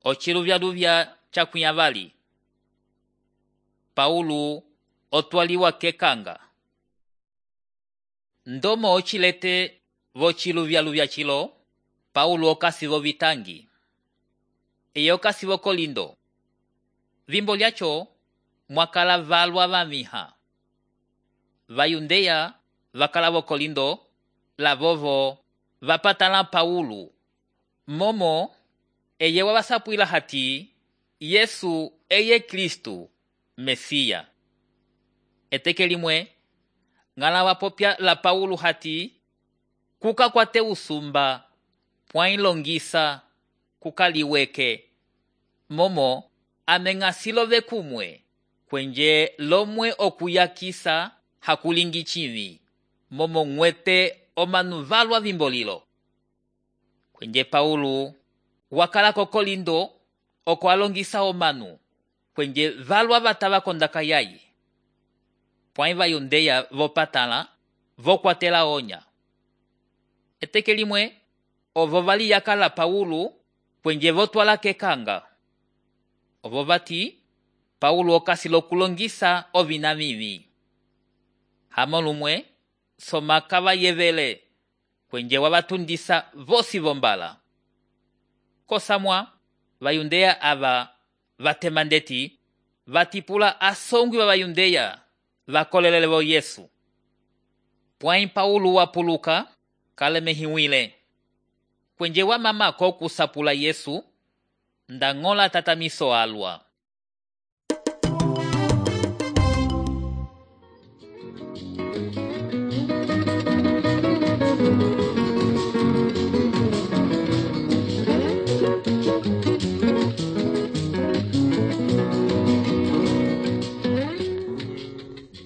Ociluvyaluvya cakwiyavali. Paulo otwaliwa kekanga. Ndomo ocilete vociluvyaluvya cilo, Paulo okasi vovitangi. Eye okasi vokolindo. Vimbo lyacho mwakala valwa vamiha. Vayundeya vakala vokolindo, lavovo vapatala Paulo. Momo eye wavasapwila hati Yesu eye Kristu, Mesiya. Eteke limwe ngala wapopya la Paulo hati kuka kwate usumba pwailongisa kukaliweke. Momo ameng'asilove kumwe kwenje lomwe okuyakisa hakulingi chivi. Momo ng'wete omanu valwa vimbolilo. Kwenje Paulo wakala kokolindo okwalongisa omanu kwenje valwa vatava kondaka yaye. Pwai vayundeya vopatala vokwatela onya. Eteke limwe ovo vali yakala Paulo kwenje votwala kekanga. Ovo vati Paulo okasi lokulongisa ovina vivi. Hamo lumwe somaka vayevele kwenje wavatundisa vosi vombala. Kosamwa vayundeya ava vatemandeti vatipula asongwi wa vayundeya vakolelele vo Yesu. Pwai Paulo wapuluka kalemehiwile. Kwenje wamamako kusapula Yesu ndang'ola tatamiso alwa.